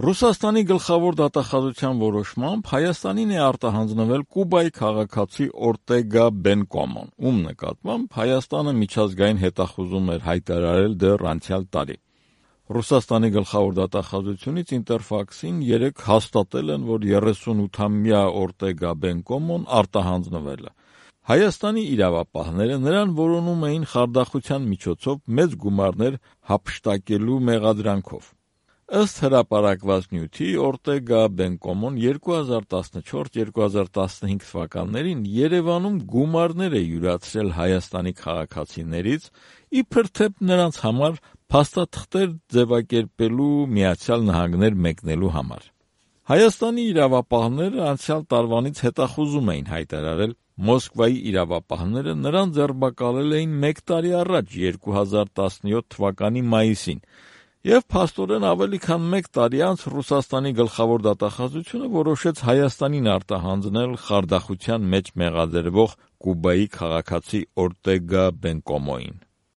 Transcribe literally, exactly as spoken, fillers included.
Ռուսաստանի գլխավոր դատախազության որոշմամբ Հայաստանին է արտահանձնվել Կուբայի քաղաքացի Օրտեգա Բենկոմոն, ում նկատմամբ Հայաստանը միջազգային հետախուզում էր հայտարարել դեռ անցյալ տարի։ Ռուսաստանի գլխավոր դատախազությունից Ինտերֆաքսին երեկ հաստատել են, որ երեսունութամյա Օրտեգա Բենկոմոն արտահանձնվել է։ Հայաստանի իրավապահները նրան որոնում էին խարդախության միջոցով մեծ գումարներ հափշտակելու մեղադրանքով։ Ըստ հրապարակված նյութի Օրտեգա Բենկոմոն երկու հազար տասնչորս երկու հազար տասնհինգ թվականներին Երևանում գումարներ է յուրացրել Հայաստանի քաղաքացիներից, իբր թե նրանց համար փաստաթղթեր ձևակերպելու Միացյալ Նահանգներ մեկնելու համար։ Հայաստանի իրավապահները անցյալ տարվանից հետախուզում էին հայտարարել, Մոսկվայի իրավապահները նրան ձերբակալել էին մեկ տարի առաջ, երկու հազար տասնյոթ թվականի մայիսին, եւ փաստորեն ավելի քան մեկ տարի անց Ռուսաստանի գլխավոր դատախազությունը որոշեց Հայաստանին արտահանձնել խարդախության մեջ մեղադրվող Կուբայի քաղաքացի Օրտեգա Բենկոմոին։